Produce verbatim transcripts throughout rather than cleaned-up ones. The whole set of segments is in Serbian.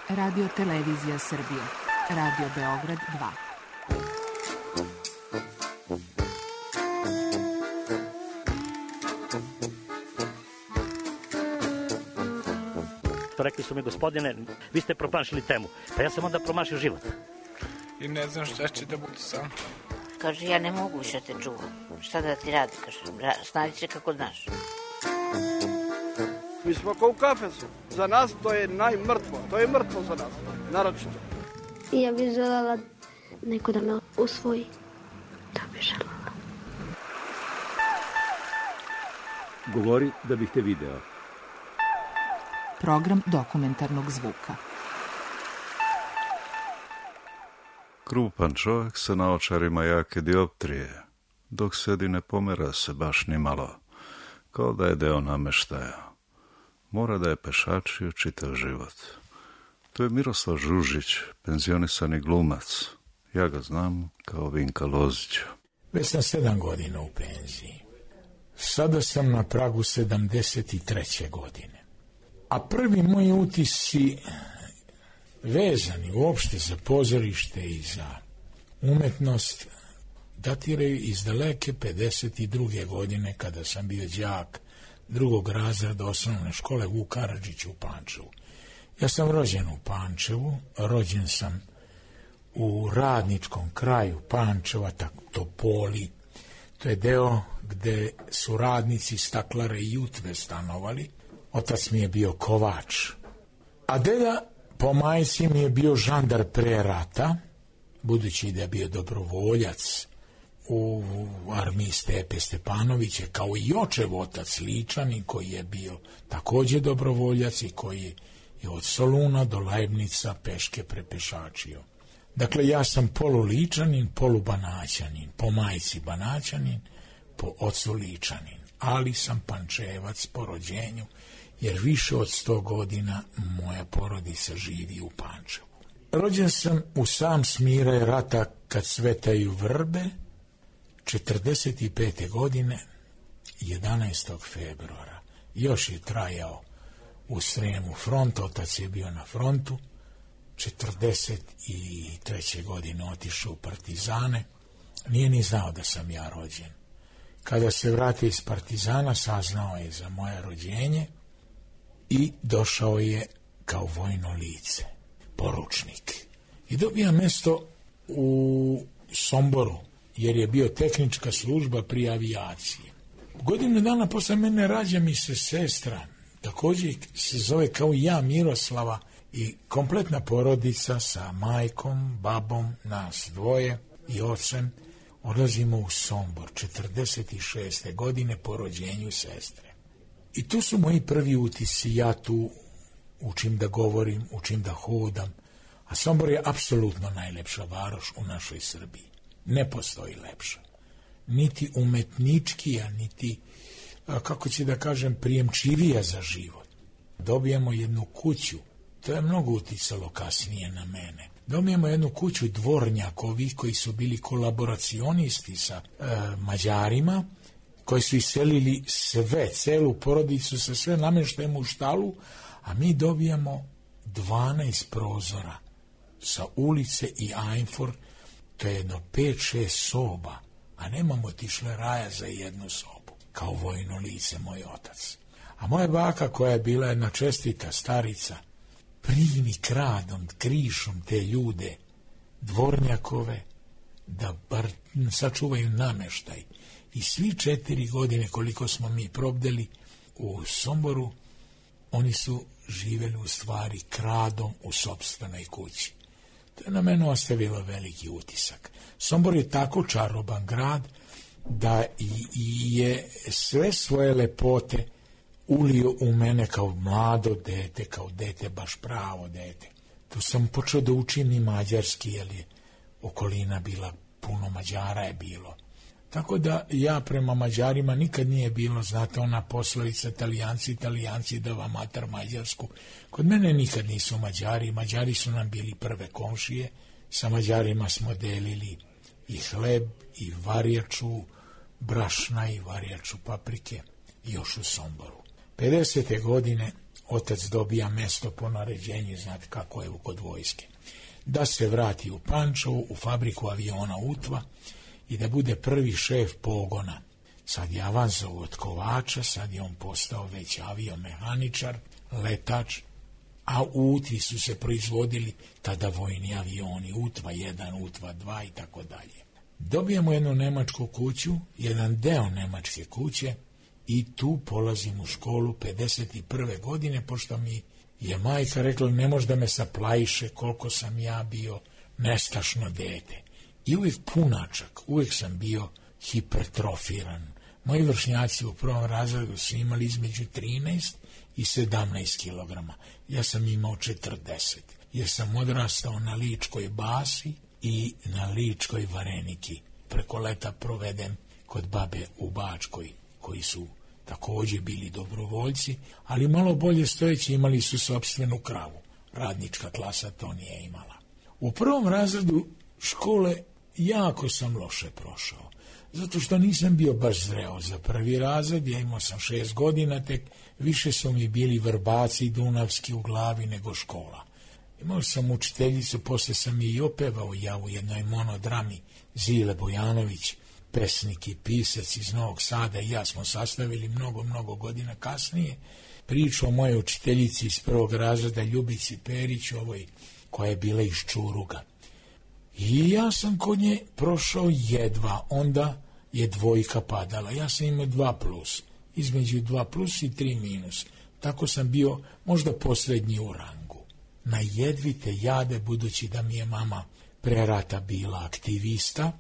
Radio Televizija Srbije. Radio Beograd dva. To rekli su mi, gospodine, vi ste promašili temu. Pa ja sam onda promašio život. I ne znam šta će da bude sam. Kaže, ja ne mogu više te čuvam. Šta da ti radi, kaže, snađi se kako znaš. Mi smo kao u kafesu. Za nas to je najmrtvo. To je mrtvo za nas, naročito. Ja bih želela neko da me usvoji. To bih želela. Govori da bih te video. Program dokumentarnog zvuka. Krupan čovjek sa naočarima jake dioptrije, dok sedi ne pomera se baš ni malo, kao da je deo nameštaja. Mora da je pešačio čitav život. To je Miroslav Žužić, penzionisani glumac. Ja ga znam kao Vinka Lozića. Već sam sedam godina u penziji. Sada sam na pragu sedamdeset treće godine. A prvi moji utisci vezani uopšte za pozorište i za umetnost datiraju iz daleke pedeset druge godine, kada sam bio đak drugog razreda osnovne škole Vuk Karadžić u Pančevu. Ja sam rođen u Pančevu, rođen sam u radničkom kraju Pančeva, Topoli. To je deo gde su radnici Staklare i Jutve stanovali. Otac mi je bio kovač. A deda po majci mi je bio žandar pre rata, budući da je bio dobrovoljac u armiji Stepe Stepanovića, kao i očev otac Ličanin, koji je bio takođe dobrovoljac i koji je od Soluna do Lajbnica peške prepešačio. Dakle, ja sam polu Ličanin, polu Banaćanin, po majci Banaćanin, po ocu Ličanin, ali sam Pančevac po rođenju, jer više od sto godina moja porodica živi u Pančevu. Rođen sam u sam smiraj rata kad cvetaju vrbe, četrdeset pete godine, jedanaestog februara. Još je trajao u Sremu front, otac je bio na frontu, četrdeset treće godine otišao u partizane, nije ni znao da sam ja rođen. Kada se vratio iz partizana, saznao je za moje rođenje i došao je kao vojno lice, poručnik. I dobija mesto u Somboru, jer je bio tehnička služba pri avijaciji. Godinu dana posle mene rađa mi se sestra, također se zove kao i ja, Miroslava, i kompletna porodica sa majkom, babom, nas dvoje i ocem odlazimo u Sombor četrdeset šeste godine po rođenju sestre. I tu su moji prvi utisci, ja tu učim da govorim, učim da hodam, a Sombor je apsolutno najlepša varoš u našoj Srbiji. Ne postoji lepša. Niti umetničkija, niti, kako će da kažem, prijemčivija za život. Dobijemo jednu kuću, to je mnogo uticalo kasnije na mene. Dobijemo jednu kuću dvornjakovi koji su bili kolaboracionisti sa e, Mađarima, koji su iselili sve, celu porodicu sa sve namještajem u štalu, a mi dobijamo dvanaest prozora sa ulice i Ajnfor, to je jedno pet šest soba, a nemamo tišle raja za jednu sobu, kao vojno lice moj otac. A moja baka, koja je bila jedna čestita starica, primi kradom, krišom te ljude, dvornjakove, da bar sačuvaju nameštaj. I svi četiri godine koliko smo mi probdeli u Somboru, oni su živeli u stvari kradom u sopstvenoj kući. To je na mene ostavilo veliki utisak. Sombor je tako čaroban grad da i, i je sve svoje lepote ulio u mene kao mlado dete, kao dete, baš pravo dete. Tu sam počeo da učim i mađarski, jer je okolina bila, puno Mađara je bilo. Tako da ja prema Mađarima nikad nije bilo, znate, ona poslovica Italijanci, Italijanci da vam matar Mađarsku. Kod mene nikad nisu Mađari, Mađari su nam bili prve komšije, sa Mađarima smo delili i hleb, i varjaču brašna, i varjaču paprike, još u Somboru. pedesete godine otac dobija mesto po naređenju, znate kako je kod vojske, da se vrati u Pančevo, u fabriku aviona Utva i da bude prvi šef pogona. Sad je avanzovao od Kovača, sad je on postao već aviomehaničar, letač, a u Utvi su se proizvodili tada vojni avioni, Utva jedan, Utva dva i tako dalje. Dobijemo jednu nemačku kuću, jedan deo nemačke kuće i tu polazim u školu pedeset prve godine, pošto mi je majka rekla ne može da me saplajiše koliko sam ja bio nestašno dete. I uvijek punačak, uvijek sam bio hipertrofiran. Moji vršnjaci u prvom razredu su imali između trinaest i sedamnaest kilograma. Ja sam imao četrdeset, jer sam odrastao na ličkoj basi i na ličkoj vareniki. Preko leta provedem kod babe u Bačkoj, koji su također bili dobrovoljci, ali malo bolje stojeći imali su sopstvenu kravu. Radnička klasa to nije imala. U prvom razredu škole jako sam loše prošao, zato što nisam bio baš zreo za prvi razred, ja imao sam šest godina, tek više su mi bili vrbaci dunavski u glavi nego škola. Imao sam učiteljicu, poslije sam je i opevao ja u jednoj monodrami, Zile Bojanović, pesnik i pisac iz Novog Sada, i ja smo sastavili mnogo, mnogo godina kasnije priču o moje učiteljici iz prvog razreda Ljubici Perić, ovoj koja je bila iz Čuruga. I ja sam kod nje prošao jedva, onda je dvojka padala. Ja sam imao dva plus, između dva plus i tri minus. Tako sam bio možda posljednji u rangu. Na jedvite jade, budući da mi je mama pre rata bila aktivista,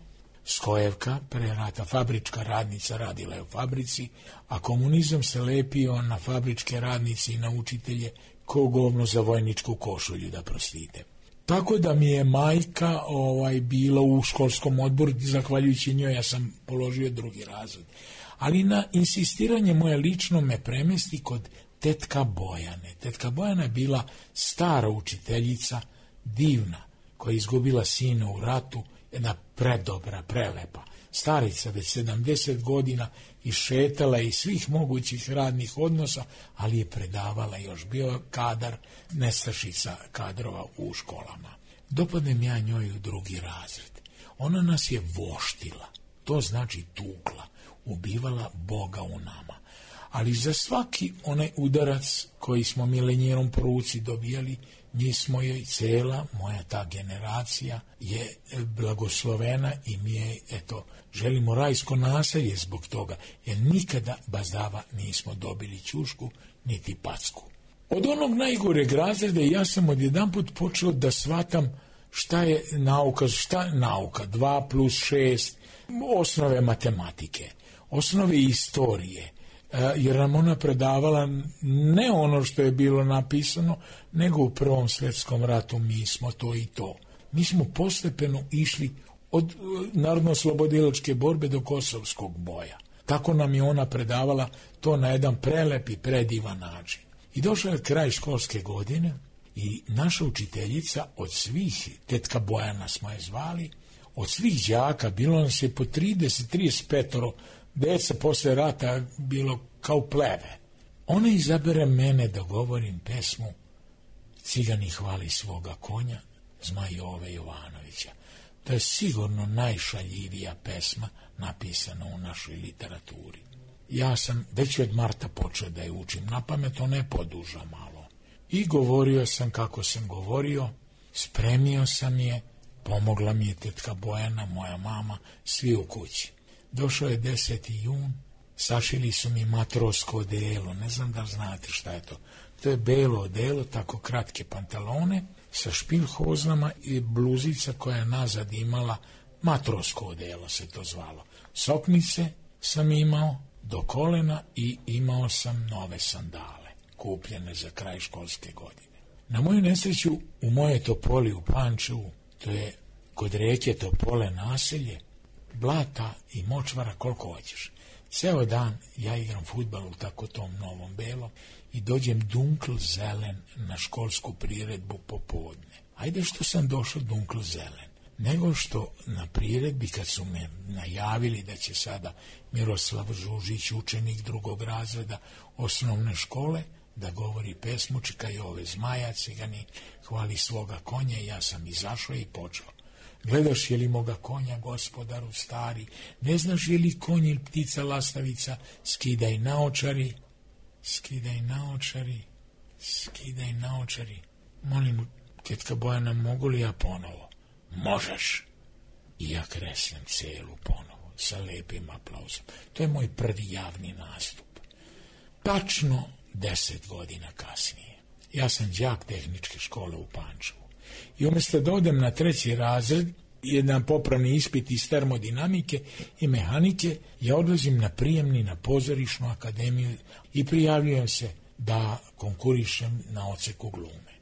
Skojevka, pre rata fabrička radnica, radila je u fabrici, a komunizam se lepio na fabričke radnice i na učitelje ko govno za vojničku košulju, da prostite. Tako da mi je majka ovaj, bila u školskom odboru, zahvaljujući njoj ja sam položio drugi razred. Ali na insistiranje moje lično me premesti kod tetka Bojane. Tetka Bojana je bila stara učiteljica, divna, koja je izgubila sina u ratu, jedna predobra, prelepa. Starica, već sedamdeset godina, i šetala iz svih mogućih radnih odnosa, ali je predavala još, bio kadar, nestašica kadrova u školama. Dopadnem ja njoj u drugi razred. Ona nas je voštila, to znači tukla, ubivala Boga u nama. Ali za svaki onaj udarac koji smo milenjerom po ruci dobijali, mi smo joj, cela moja ta generacija je blagoslovena i mi je, eto, želimo rajsko naselje zbog toga, jer nikada bazdava nismo dobili ćušku niti packu. Od onog najgoreg razreda ja sam odjedanput počeo da shvatam šta je nauka, šta je nauka, dva plus šest, osnove matematike, osnove istorije, jer nam ona predavala ne ono što je bilo napisano, nego u Prvom svjetskom ratu mi smo to i to. Mi smo postepeno išli od narodno-oslobodilačke borbe do kosovskog boja. Tako nam je ona predavala to na jedan prelep i predivan način. I došao je kraj školske godine i naša učiteljica od svih, tetka Bojana smo je zvali, od svih đaka, bilo nas je po trideset, trideset pet deca posle rata, bilo kao pleve. Ona izabere mene da govorim pesmu Cigani hvali svoga konja, Zmaj Jove Jovanovića. To je sigurno najšaljivija pesma napisana u našoj literaturi. Ja sam već od marta počeo da je učim na pamet, ona je poduža malo. I govorio sam kako sam govorio, spremio sam je, pomogla mi je tetka Bojana, moja mama, svi u kući. Došao je deseti jun, sašili su mi matrosko odelo, ne znam da znate šta je to. To je belo odelo, tako kratke pantalone, sa špilhoznama i bluzica koja je nazad imala, matrosko odelo se to zvalo. Soknice sam imao do kolena i imao sam nove sandale, kupljene za kraj školske godine. Na moju nesreću, u moje Topoli u Pančevu, to je kod rijeke Topole naselje, blata i močvara koliko hoćeš. Ceo dan ja igram fudbal u tako tom novom belom i dođem dunkl zelen na školsku priredbu popodne. Ajde što sam došao dunkl zelen, nego što na priredbi kad su me najavili da će sada Miroslav Žužić, učenik drugog razreda osnovne škole, da govori pesmu, čekaj ove zmaja cigani, hvali svoga konja, ja sam izašao i počeo. Gledaš je li moga konja, gospodaru stari, ne znaš je li konj ili ptica lastavica, skidaj naočari, skidaj naočari, skidaj naočari. Molim, tetka Bojana, mogu li ja ponovo? Možeš. I ja kreslem celu ponovo, sa lepim aplauzom. To je moj prvi javni nastup. Tačno deset godina kasnije. Ja sam đak tehničke škole u Pančevu. I umjesto da odem na treći razred, jedan popravni ispit iz termodinamike i mehanike, ja odlazim na prijemni na pozorišnu akademiju i prijavljujem se da konkurišem na odseku glume.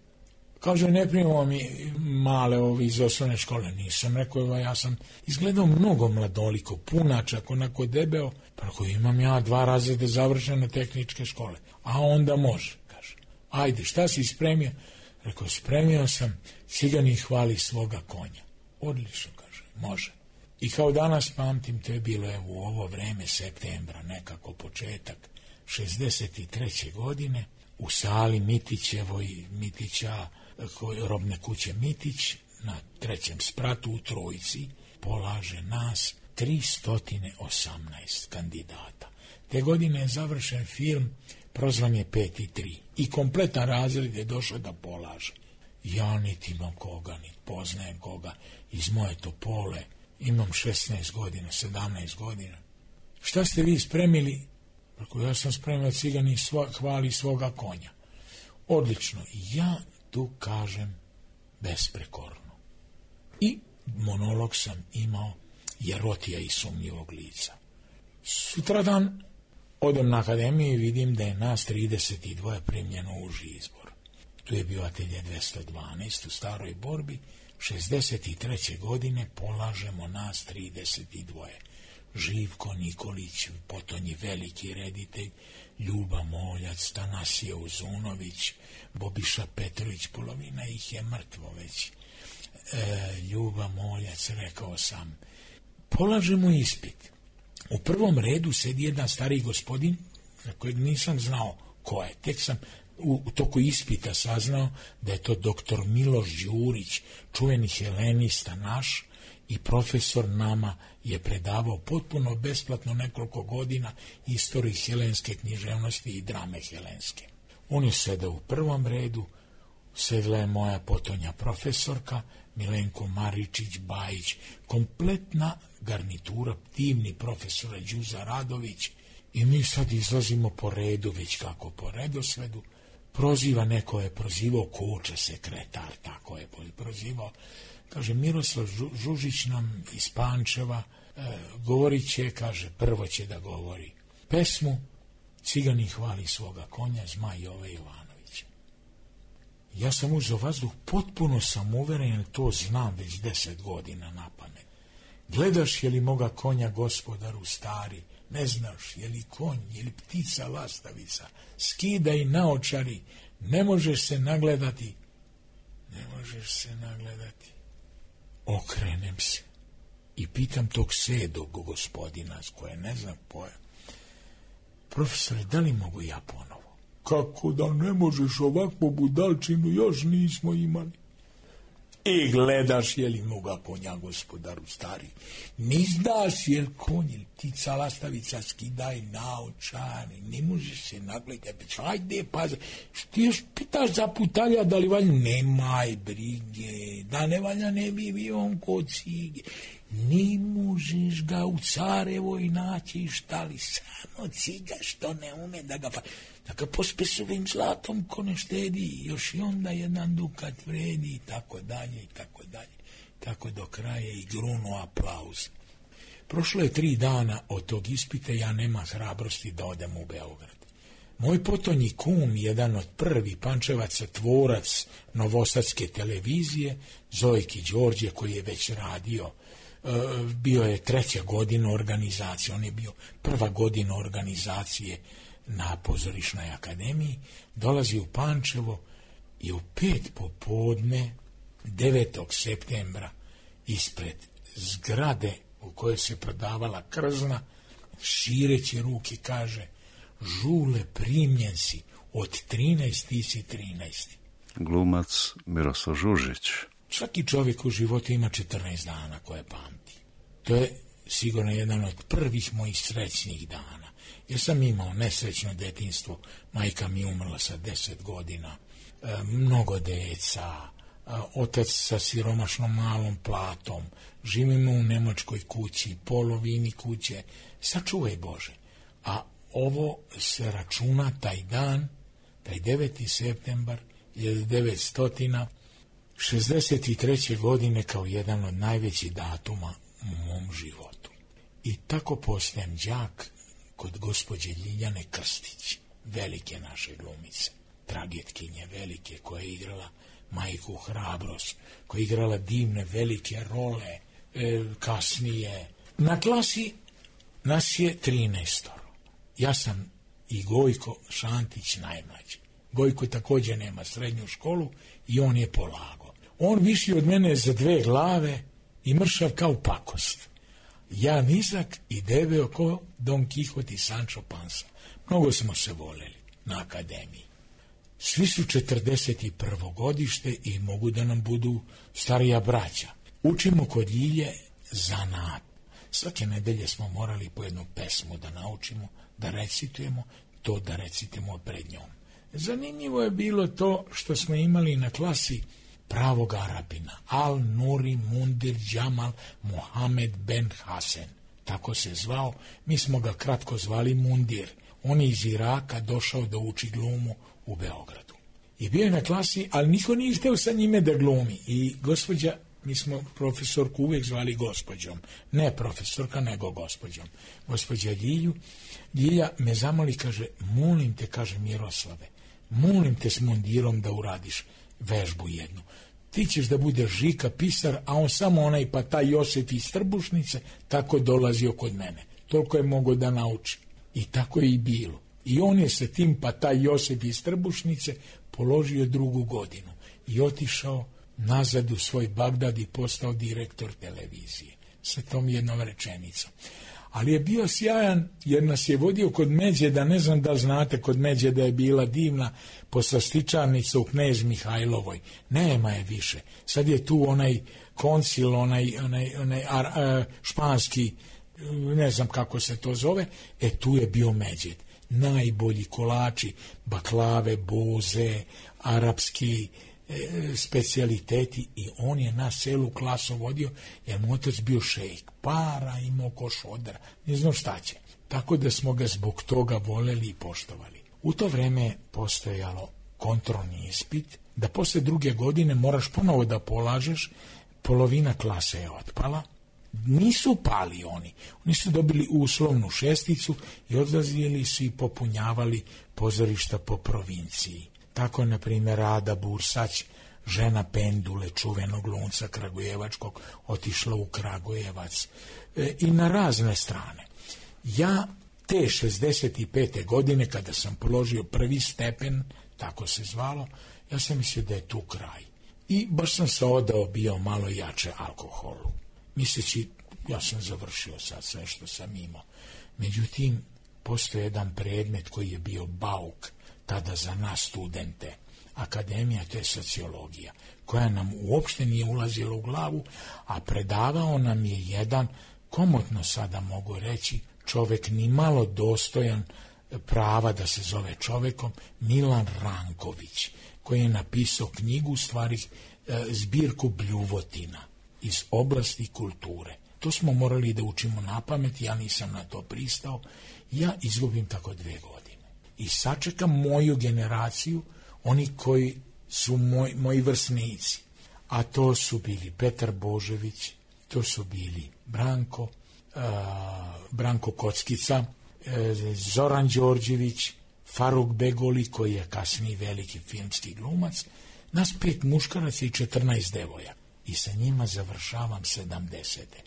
Kaže, ne primamo mi male ovi iz osnovne škole. Nisam rekao, ja sam izgledao mnogo mladoliko, punačak, onako debeo, pa ako imam ja dva razrede završene tehničke škole. A onda može, kaže. Ajde, šta si spremio? Rekao, spremio sam, cigani hvali svoga konja. Odlično, kaže, može. I kao danas pamtim, to je bilo evo, u ovo vreme septembra, nekako početak šezdeset treće godine, u sali Mitićevoj, Mitića, robne kuće Mitić, na trećem spratu u Trojici, polaže nas tristo osamnaest kandidata. Te godine je završen film, prozvan je pet i tri. I kompletan razred je došao da polaže. Ja niti imam koga, niti poznajem koga. Iz moje Topole imam šesnaest godina, sedamnaest godina. Šta ste vi spremili? Rekao, ja sam spremio cigani svo, hvali svoga konja. Odlično. Ja tu kažem besprekorno. I monolog sam imao Jerotija i sumnjivog lica. Sutradan odem na akademiju i vidim da je nas trideset dva primljeno u uži izbor. Tu je bio atelje dvesta dvanaest u Staroj Borbi. šezdeset treće godine polažemo nas trideset dva. Živko Nikolić, potonji veliki reditelj, Ljuba Moljac, Tanasije Uzunović, Bobiša Petrović, polovina ih je mrtvo već. E, Ljuba Moljac, rekao sam, polažemo ispit. U prvom redu sedi jedan stari gospodin, za kojeg nisam znao ko je. Tek sam u, u toku ispita saznao da je to doktor Miloš Đurić, čuveni helenista naš, i profesor nama je predavao potpuno besplatno nekoliko godina istoriju helenske književnosti i drame helenske. On je sedao u prvom redu, sedla je moja potonja profesorka, Milenko Maričić, Bajić, kompletna garnitura, divni profesora Đuza Radović, i mi sad izlazimo po redu, već kako po redosledu. Proziva, neko je prozivao Koča, sekretar, tako je prozivao. Kaže, Miroslav Žužić nam iz Pančeva, e, govorit će, kaže, prvo će da govori pesmu Cigani hvali svoga konja, Zmaj Jove Jovanović. Ja sam uzeo vazduh, potpuno sam uveren, to znam već deset godina na pamet. Gledaš je li moga konja, gospodaru stari, ne znaš je li konj, je li ptica lastavica, skidaj naočari, ne možeš se nagledati, ne možeš se nagledati. Okrenem se i pitam tog sedog gospodina, s koje ne znam poja. Profesore, da li mogu ja ponovo? Kako da ne možeš, ovakvu budalčinu još nismo imali. I gledaš je li moga konja, gospodaru stari. Ni znaš je li konj ili ptica lastavica, skidaj naočari, ne možeš se nagledati. Ajde, pa, što još pitaš za putalja, da li valja? Nemaj brige, da ne valja, ne bi bio on kod cige. Ne možeš ga u Carevoj naći, šta li, samo ciga što ne ume da ga pa... Da ga pospe s ovim zlatom ko ne štedi, još i onda jedan dukat vredi, i tako dalje, i tako dalje. Tako do kraja i grunuo aplauz. Prošlo je tri dana od tog ispita, ja nema hrabrosti da odem u Beograd. Moj potonji kum, jedan od prvi Pančevaca, tvorac novosadske televizije, Zojki Đorđe, koji je već radio, bio je treća godina organizacije, on je bio prva godina organizacije na pozorišnoj akademiji, dolazi u Pančevo i u pet popodne devetog septembra ispred zgrade u kojoj se prodavala krzna, šireći ruke kaže: Žule, primljen si, od trinaest ti si trinaesti. Glumac Miroslav Žužić. Svaki čovjek u životu ima četrnaest dana koje pamti. To je sigurno jedan od prvih mojih srećnih dana. Ja sam imao nesrećno detinjstvo, majka mi umrla sa deset godina, e, mnogo deca, e, otac sa siromašnom malom platom, živimo u nemačkoj kući, polovini kuće, sačuvaj Bože. A ovo se računa taj dan, taj deveti septembar hiljadu devetsto šezdeset treće. godine kao jedan od najvećih datuma u mom životu. I tako postajem đak kod gospođe Ljiljane Krstić, velike naše glumice, tragetkinje velike, koja je igrala majku Hrabrost, koja je igrala divne velike role, e, kasnije. Na klasi nas je trinaestoro. Ja sam i Gojko Šantić najmlađi. Gojko također nema srednju školu i on je polagao. On viši od mene za dve glave i mršav kao pakost. Ja nizak i debeo ko Don Kihot i Sancho Panza. Mnogo smo se voleli na akademiji. Svi su četrdeset prvo godište i mogu da nam budu starija braća. Učimo kod Ljilje zanat. Svake nedelje smo morali po jednu pesmu da naučimo, da recitujemo, to da recitujemo pred njom. Zanimljivo je bilo to što smo imali na klasi pravog Arapina, Al Nuri Mundir Džamal Mohamed Ben Hasen. Tako se zvao, mi smo ga kratko zvali Mundir. On je iz Iraka došao da uči glumu u Beogradu. I bio je na klasi, ali niko nije hteo sa njime da glumi. I gospođa, mi smo profesorku uvijek zvali gospođom. Ne profesorka, nego gospođom. Gospođa Ljilju, Ljilja me zamoli, kaže, molim te, kaže Miroslave, molim te s mundirom da uradiš vežbu jednu. Ti ćeš da budeš Žika pisar, a on samo onaj pa taj Josif iz Trbušnice tako dolazio kod mene. Toliko je mogao da nauči. I tako je i bilo. I on je sa tim pa taj Josif iz Trbušnice položio drugu godinu i otišao nazad u svoj Bagdad i postao direktor televizije. Sa tom jednom rečenicom. Ali je bio sjajan jer nas je vodio kod Međeda, ne znam da znate, kod Međeda je bila divna poslastičarnica u Knez Mihajlovoj. Nema je više. Sad je tu onaj koncil, onaj, onaj, onaj ar, a, španski, ne znam kako se to zove, e tu je bio Međed. Najbolji kolači, baklave, boze, arapski e, specijaliteti i on je nas celu klasu vodio jer mu otac bio šejk, para imao ko šodra, ne znam šta će. Tako da smo ga zbog toga voleli i poštovali. U to vreme je postojalo kontrolni ispit, da posle druge godine moraš ponovo da polažeš, polovina klase je otpala. Nisu pali oni, oni su dobili uslovnu šesticu i odlazili su i popunjavali pozorišta po provinciji. Tako je, na primjer, Rada Bursać, žena Pendule, čuvenog glumca kragujevačkog, otišla u Kragujevac e, i na razne strane. Ja te šezdeset pete. godine, kada sam položio prvi stepen, tako se zvalo, ja sam mislio da je tu kraj. I baš sam se odao bio malo jače alkoholu. Misleći, ja sam završio sad sve što sam imao. Međutim, postoji jedan predmet koji je bio bauk tada za nas studente. Akademija, to je sociologija, koja nam uopšte nije ulazila u glavu, a predavao nam je jedan, komotno sada mogu reći, čovek ni malo dostojan prava da se zove čovekom, Milan Ranković, koji je napisao knjigu, u stvari zbirku bljuvotina iz oblasti kulture. To smo morali da učimo na pamet, ja nisam na to pristao, ja izgubim tako dve godine. I sačekam moju generaciju, oni koji su moj, moji vrsnici, a to su bili Petar Božević, to su bili Branko, uh, Branko Kockica, uh, Zoran Đorđević, Faruk Begoli, koji je kasniji veliki filmski glumac, nas pet muškaraca i četrnaest devoja. I sa njima završavam sedamdesete.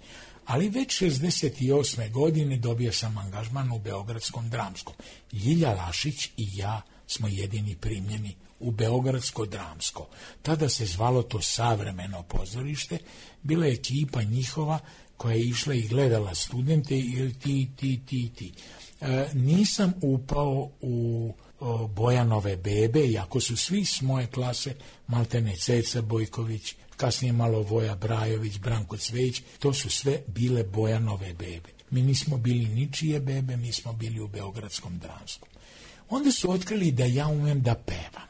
Ali već šezdeset osme. godine dobio sam angažman u Beogradskom dramskom. Ljilja Lašić i ja smo jedini primljeni u Beogradsko dramsko. Tada se zvalo to Savremeno pozorište, bila je ekipa njihova koja je išla i gledala studente i ti, ti, ti, ti. E, nisam upao u o, Bojanove bebe, iako su svi s moje klase, maltene Ceca Bojković, kasnije malo Voja Brajović, Branko Cvejić, to su sve bile Bojanove bebe. Mi nismo bili ničije bebe, mi smo bili u Beogradskom dramskom. Onda su otkrili da ja umem da pevam.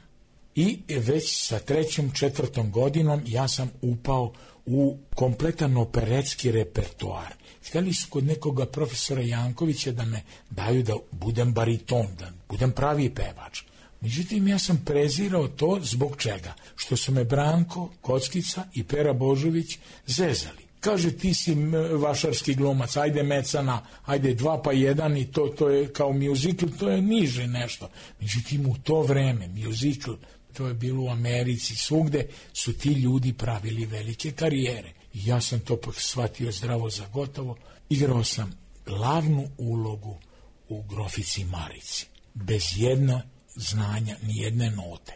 I već sa trećom, četvrtom godinom ja sam upao u kompletan operetski repertoar. Htjeli su kod nekoga profesora Jankovića da me daju da budem bariton, da budem pravi pevač. Međutim, ja sam prezirao to zbog čega? Što su me Branko Kockica i Pera Božović zezali. Kaže, ti si vašarski glumac, ajde mecana, ajde dva pa jedan i to, to je kao muzikl, to je niže nešto. Međutim, u to vreme, muzikl, to je bilo u Americi, svugde su ti ljudi pravili velike karijere. I ja sam to shvatio zdravo za gotovo. Igrao sam glavnu ulogu u Grofici Marici, bez jedna znanja, ni jedne note.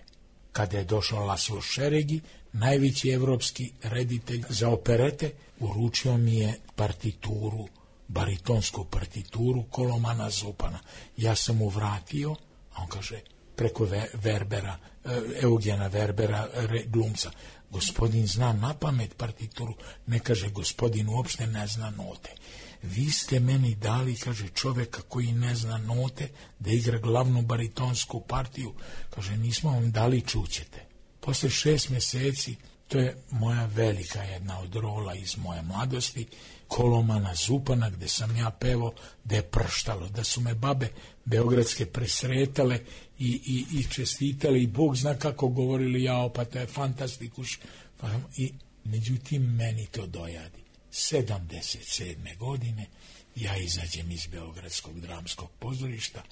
Kada je došao Laslo Šeregi, najveći evropski reditelj za operete, uručio mi je partituru, baritonsku partituru Kolomana Zupana. Ja sam mu vratio, a on kaže, preko Verbera, Eugena Verbera, glumca, gospodin zna na pamet partituru, ne, kaže, gospodin uopšte ne zna note. Vi ste meni dali, kaže, čoveka koji ne zna note, da igra glavnu baritonsku partiju, kaže, nismo vam dali, čućete. Posle šest mjeseci, to je moja velika jedna od rola iz moje mladosti, Kolomana Zupana, gde sam ja pevao, da je prštalo, da su me babe beogradske presretale i, i, i čestitale i Bog zna kako govorili, jao, pa to je fantastikuš. I međutim, meni to dojadi. sedamdeset sedme godine ja izađem iz Beogradskog dramskog pozorišta,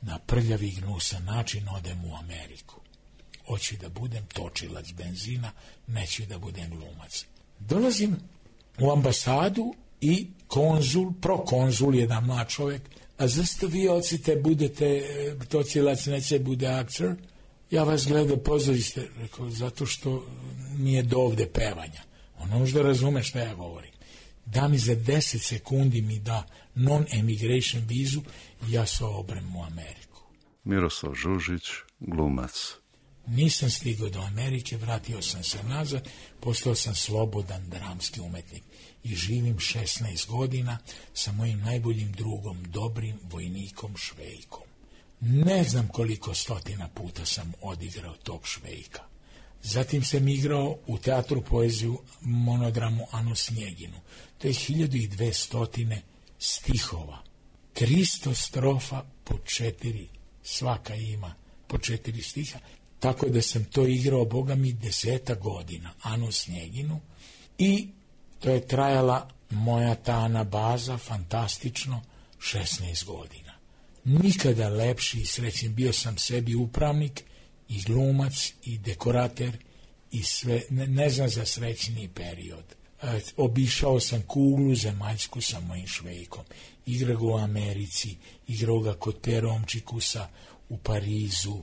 na prljavi gnusan način odem u Ameriku. Hoću da budem točilac benzina, neću da budem glumac. Dolazim u ambasadu i konzul, prokonzul, jedan mlad čovjek, a zašto vi ocite budete točilac, neće bude aktor? Ja vas gledam pozorište, rekao, zato što nije do ovde pevanja. Ono možda razume šta ja govorim. Da mi za deset sekundi mi da non-emigration vizu i ja se obrem u Ameriku. Miroslav Žužić, glumac. Nisam stigao do Amerike, vratio sam se nazad, postao sam slobodan dramski umetnik i živim šesnaest godina sa mojim najboljim drugom, dobrim vojnikom Švejkom. Ne znam koliko stotina puta sam odigrao tog Švejka. Zatim sam igrao u teatru poeziju monodramu Anu Snjeginu. To je hiljadu i dvesta stihova. tristo strofa po četiri, svaka ima po četiri stiha. Tako da sam to igrao, boga mi, deseta godina, Anu Snjeginu. I to je trajala moja ta anabaza, fantastično, šesnaest godina. Nikada lepši i srećen, bio sam sebi upravnik, i glumac, i dekorater, i sve, ne, ne znam za srećniji period. E, obišao sam kuglu zemaljsku sa mojim Švejkom. Igrao ga u Americi, igrao ga kod Peromčikusa u Parizu,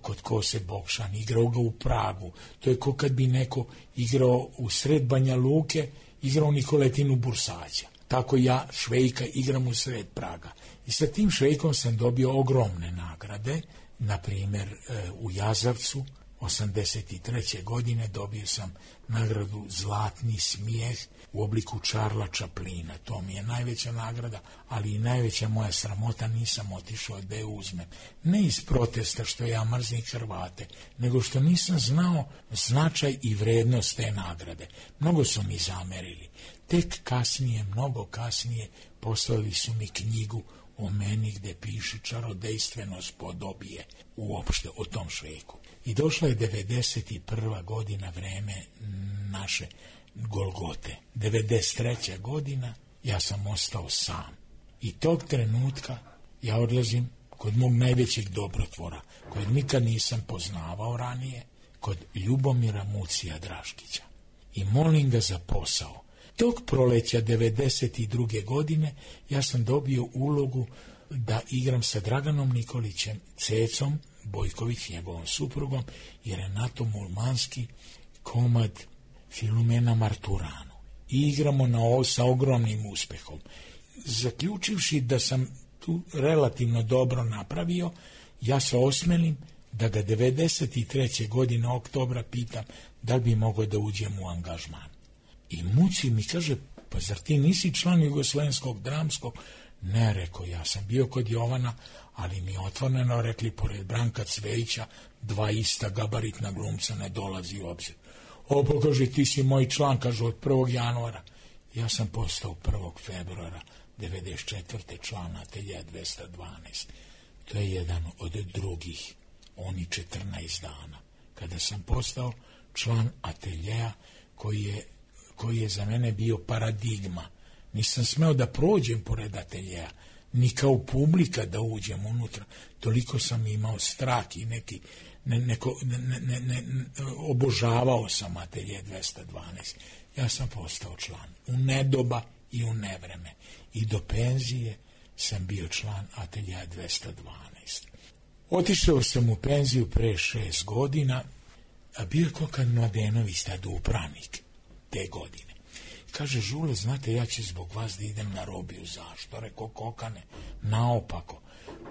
kod Kose Bokšan, igrao ga u Pragu. To je kao kad bi neko igrao u sred Banja Luke, igrao Nikoletinu Bursađa. Tako ja Švejka igram u sred Praga. I sa tim Švejkom sam dobio ogromne nagrade. Na primjer, u Jazavcu, osamdeset treće godine, dobio sam nagradu Zlatni smijeh u obliku Charlesa Chaplina. To mi je najveća nagrada, ali i najveća moja sramota, nisam otišao da je uzmem. Ne iz protesta što ja mrzim Hrvate, nego što nisam znao značaj i vrednost te nagrade. Mnogo su mi zamerili. Tek kasnije, mnogo kasnije, poslali su mi knjigu o meni gde piše čarodejstvenost podobije uopšte o tom Švejku. I došla je devedeset prva godina, vreme naše Golgote. devedeset treća godina ja sam ostao sam. I tog trenutka ja odlazim kod mog najvećeg dobrotvora, kojeg nikad nisam poznavao ranije, kod Ljubomira Mucija Draškića. I molim ga za posao. Tog proleća devedeset druge godine ja sam dobio ulogu da igram sa Draganom Nikolićem, Cecom Bojković, njegovom suprugom, i Renatom Mulmanski, komad Filumena Marturanu. I igramo na ovo sa ogromnim uspehom. Zaključivši da sam tu relativno dobro napravio, ja se osmelim da ga devedeset treće godine oktobra pitam da li bi mogao da uđem u angažman. I muci mi kaže, pa zar ti nisi član Jugoslovenskog dramskog? Ne, rekao, ja sam bio kod Jovana, ali mi otvoreno rekli, pored Branka Cvejića, dva ista gabaritna glumca ne dolazi u obzir. O, pa kaže, ti si moj član, kaže, od prvog januara. Ja sam postao prvog februara devedeset četvrte član Ateljeja dvesta dvanaest. To je jedan od drugih, oni četrnaest dana. Kada sam postao član Ateljeja koji je, koji je za mene bio paradigma. Nisam smeo da prođem pored Ateljeja, ni kao publika da uđem unutra. Toliko sam imao strah i neki, ne, neko, ne, ne, ne, obožavao sam Atelje dvesta dvanaest. Ja sam postao član u nedoba i u nevreme. I do penzije sam bio član Ateljeja dvesta dvanaest. Otišao sam u penziju pre šest godina, a bio je Kokan Mladenović, tada upravnik te godine. Kaže, Žule, znate, ja ću zbog vas da idem na robiju. Zašto? Rekao, Kokane, naopako.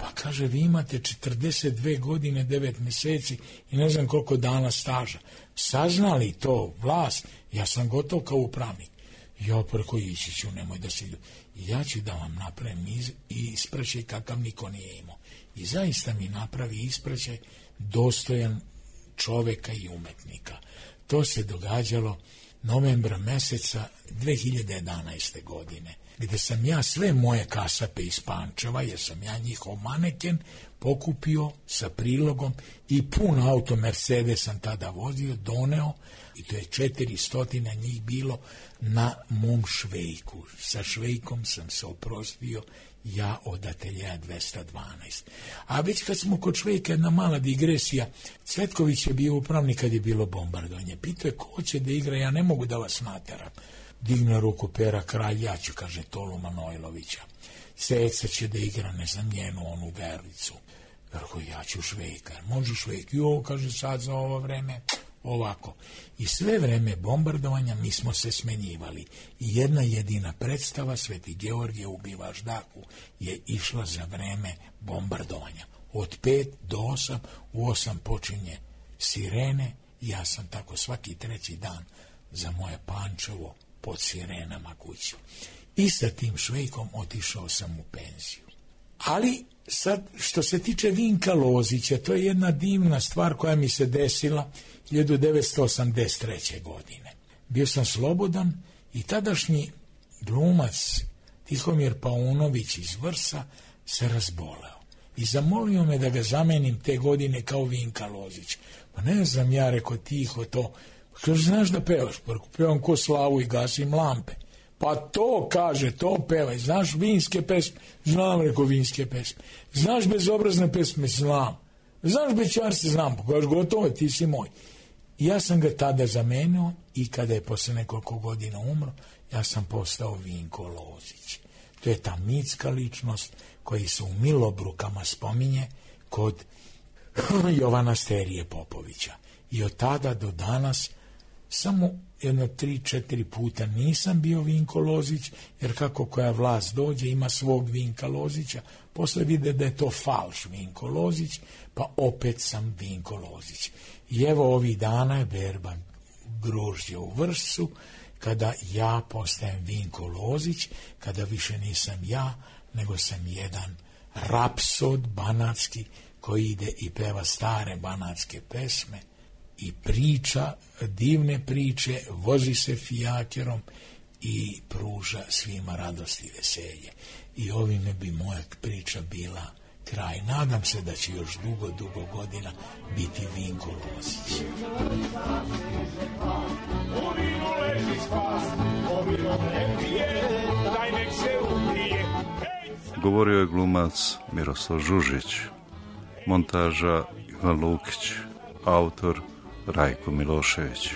Pa kaže, vi imate četrdeset dve godine, devet meseci i ne znam koliko dana staža. Saznali to vlast, ja sam gotov kao upravnik. Ja preko ići ću, nemoj da se... Ja ću da vam napravim iz, i ispraćaj kakav niko nije imao. I zaista mi napravi ispraćaj dostojan čoveka i umetnika. To se događalo novembra meseca dve hiljade jedanaeste. godine, gde sam ja sve moje kasape iz Pančeva, jer sam ja njihov maneken, pokupio sa prilogom i pun auto Mercedes sam tada vozio, doneo, i to je četiristo njih bilo na mom švejku. Sa švejkom sam se oprostio ja od Ateljeja dvesta dvanaest. A već kad smo kod švejka, jedna mala digresija, Cvetković je bio upravnik kad je bilo bombardovanje. Pitao je, ko će da igra, ja ne mogu da vas nateram. Digne ruku Pera Kralj, ja ću, kaže, Tolu Manojlovića. Ceca će da igra, ne znam, njenu onu Verlicu. Rekao, ja ću Švejka. Može Švejk? Jo, kaže, sad za ovo vreme, ovako. I sve vreme bombardovanja mi smo se smenjivali. I jedna jedina predstava, Sveti Georgije ubiva Ždaku, je išla za vreme bombardovanja. Od pet do osam, u osam počinje sirene, i ja sam tako svaki treći dan za moje Pančevo pod sirenama kući. I sa tim Švejkom otišao sam u penziju. Ali sad, što se tiče Vinka Lozića, to je jedna divna stvar koja mi se desila hiljadu devetsto osamdeset treće. godine. Bio sam slobodan i tadašnji glumac Tihomir Paunović iz Vrsa se razboleo. I zamolio me da ga zamenim te godine kao Vinka Lozić. Pa ne znam, ja rekao, tiho to. Kaže, znaš da pevaš? Pa pevam ko Slavu i gasim lampe. Pa to, kaže, to pevaj. Znaš vinske pesme? Znam, rekao, vinske pesme. Znaš bezobrazne pesme? Znam. Znaš bećarce? Znam. Pa kaže, gotovo, ti si moj. I ja sam ga tada zamenio i kada je posle nekoliko godina umro, ja sam postao Vinko Lozić. To je ta mitska ličnost koji se u Milobrukama spominje kod Jovana Sterije Popovića. I od tada do danas samo jedno tri, četiri puta nisam bio Vinko Lozić, jer kako koja vlast dođe ima svog Vinka Lozića, posle vide da je to falš Vinko Lozić, pa opet sam Vinko Lozić. I evo ovih dana je berba grožđe u Vršcu, kada ja postajem Vinko Lozić, kada više nisam ja, nego sam jedan rapsod banatski koji ide i peva stare banatske pesme i priča divne priče, vozi se fijakerom i pruža svima radost i veselje. I ovime bi moja priča bila kraj. Nadam se da će još dugo, dugo godina biti Vinko Lozić. Govorio je glumac Miroslav Žužić, montaža Ivan Lukić, autor Rajko Milošević.